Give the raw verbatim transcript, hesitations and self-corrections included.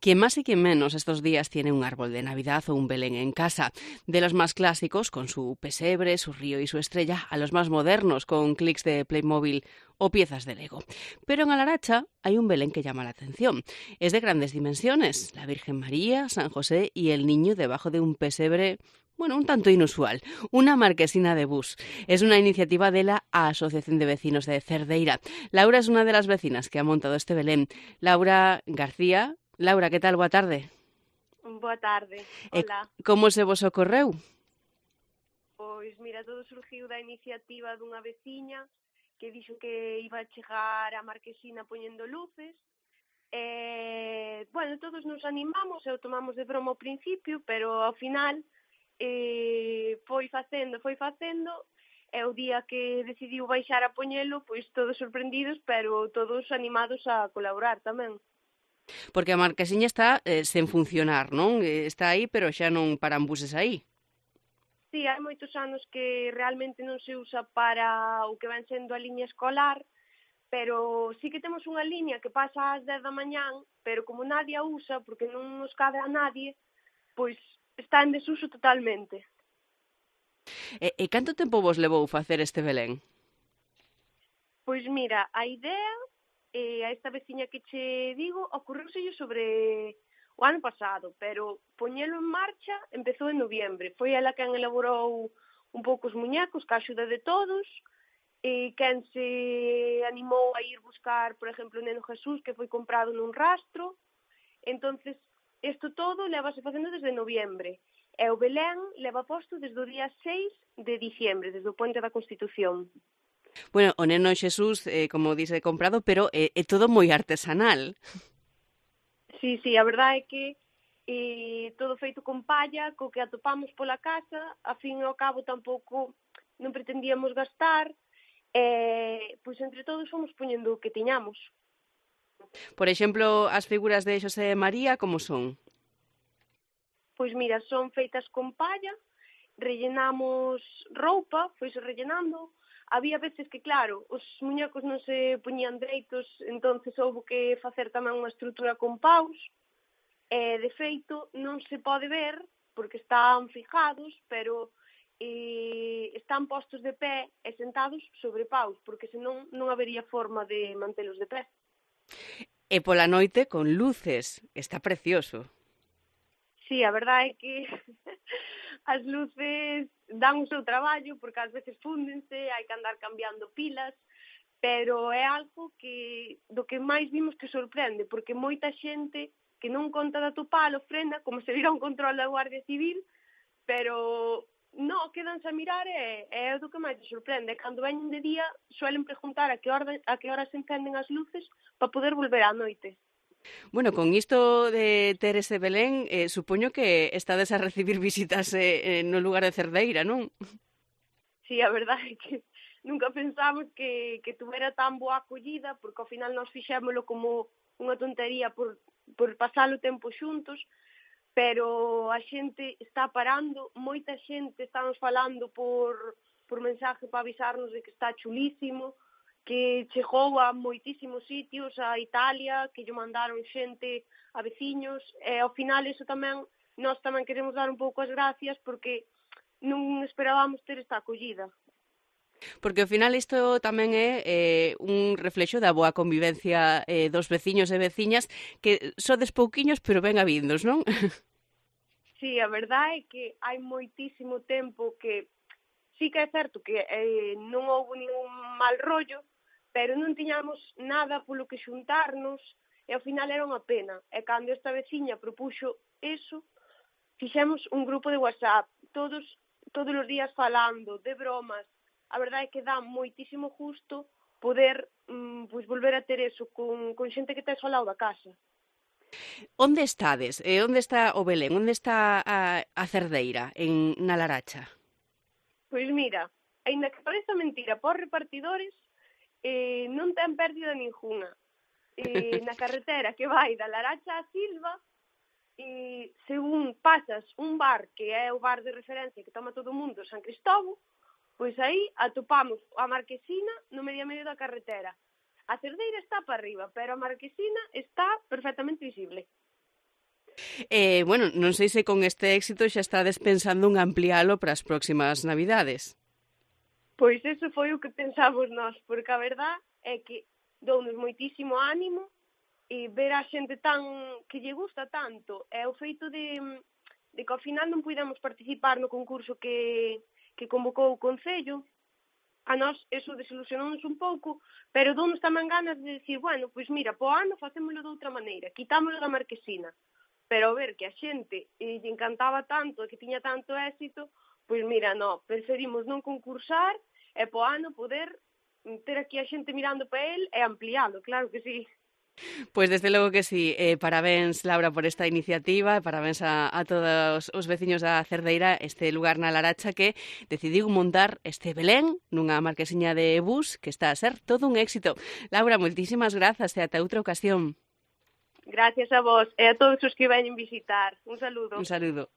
Quien más y quien menos estos días tiene un árbol de Navidad o un Belén en casa. De los más clásicos, con su pesebre, su río y su estrella, a los más modernos, con clics de Playmobil o piezas de Lego. Pero en Alaracha hay un Belén que llama la atención. Es de grandes dimensiones. La Virgen María, San José y el niño debajo de un pesebre, bueno, un tanto inusual. Una marquesina de bus. Es una iniciativa de la Asociación de Vecinos de Cerdeira. Laura es una de las vecinas que ha montado este Belén. Laura García. Laura, que tal? Boa tarde. Boa tarde, E hola. como se vos ocorreu? Pois mira, todo surgiu da iniciativa dunha veciña que dixo que iba a chegar a Marquesina poñendo luces. E, bueno, todos nos animamos e o tomamos de broma ao principio, pero ao final eh, foi facendo, foi facendo, e o día que decidiu baixar a poñelo, pois todos sorprendidos, pero todos animados a colaborar tamén. Porque a marquesiña está eh, sen funcionar, non? Eh, Está aí, pero xa non paran buses aí. Sí, hai moitos anos que realmente non se usa para o que ven sendo a liña escolar, pero sí que temos unha liña que pasa ás dez da mañán, pero como nadie a usa, porque non nos cabe a nadie, pois está en desuso totalmente. E, e canto tempo vos levou facer este Belén? Pois mira, a idea, eh, a esta veciña que che digo, ocorreuselle sobre o ano pasado, pero poñelo en marcha empezou en noviembre. Foi ela quen elaborou un pouco os muñecos, ca axuda de todos, e quen se animou a ir buscar, por exemplo, o Neno Jesús, que foi comprado nun rastro. Entonces, isto todo levase facendo desde noviembre. E o Belén leva posto desde o día seis de diciembre, desde o Puente da Constitución. Bueno, o Neno Xesús, eh, como dice, comprado, pero é, é todo moi artesanal. Sí, sí, a verdade é que eh, todo feito con palla, co que atopamos pola casa, a fin e ao cabo tampouco non pretendíamos gastar, e pois entre todos fomos poñendo o que tiñamos. Por exemplo, as figuras de Xosé e María, como son? Pois mira, son feitas con palla, rellenamos roupa, foise rellenando. Había veces que, claro, os muñecos non se poñían dereitos, entonces houve que facer tamén unha estrutura con paus, e, de feito, non se pode ver, porque están fijados, pero eh, están postos de pé e sentados sobre paus, porque senón non habería forma de mantelos de pé. E pola noite con luces. Está precioso. Sí, a verdade é que as luces dan o seu traballo, porque ás veces fúndense, hai que andar cambiando pilas, pero é algo que do que máis vimos que sorprende, porque moita xente que non conta de atopalo frena, como se vira un control da Guardia Civil, pero non, quedanse a mirar e é do que máis te sorprende. Cando veñen de día, suelen preguntar a que hora, a que hora se encenden as luces para poder volver á noite. Bueno, con isto de ter ese Belén, eh, supoño que estades a recibir visitas eh, no lugar de Cerdeira, non? Sí, a verdade é que nunca pensamos que, que tuvera tan boa acollida, porque ao final nós fixémolo como unha tontería por, por pasar o tempo xuntos, pero a xente está parando, moita xente estamos falando por, por mensaje para avisarnos de que está chulísimo, que chegou a moitísimos sitios, a Italia, que lle mandaron xente a veciños, e ao final iso tamén, nós tamén queremos dar un pouco as gracias, porque non esperábamos ter esta acollida. Porque ao final isto tamén é eh, un reflexo da boa convivencia eh, dos veciños e veciñas que sodes pouquiños pero ben havindos, non? Sí, a verdade é que hai moitísimo tempo que sí que é certo que eh, non houve ningún mal rollo, pero non tiñamos nada polo que xuntarnos e ao final era unha pena. E cando esta veciña propuxo eso, fixemos un grupo de WhatsApp, todos todos os días falando, de bromas. A verdade é que dá moitísimo gusto poder mm, pois volver a ter eso con, con xente que tes ao lado da casa. Onde estades? E onde está o Belén? Onde está a, a Cerdeira? En na Laracha? Pois mira, aínda que pareza mentira para os repartidores, eh, non ten pérdida ningunha. Eh, na carretera que vai da Laracha a Silva, e según pasas un bar que é o bar de referencia que toma todo o mundo, San Cristóbal, pois aí atopamos a Marquesina no medio a medio da carretera. A Cerdeira está para arriba, pero a Marquesina está perfectamente visible. Eh, bueno, non sei se con este éxito xa estades pensando en ampliálo para as próximas Navidades. Pois eso foi o que pensamos nós, porque a verdad é que dounos moitísimo ánimo e ver a xente tan que lle gusta tanto, é o feito de, de que ao final non puidemos participar no concurso que, que convocou o Concello. A nós eso desilusionounos un pouco, pero dounos tamén ganas de decir, bueno, pois mira, po ano facémolo de outra maneira, quitámolo da marquesina. Pero ver que a xente e lle encantaba tanto e que tiña tanto éxito, pois mira, no, preferimos non concursar e po ano poder ter aquí a xente mirando para el e ampliálo, claro que sí. Pois desde logo que sí, eh, parabéns Laura por esta iniciativa, parabéns a, a todos os veciños da Cerdeira, este lugar na Laracha que decidiu montar este Belén nunha marquesiña de bus que está a ser todo un éxito. Laura, moitísimas grazas e ata outra ocasión. Gracias a vos e a todos os que veñen visitar. Un saludo. Un saludo.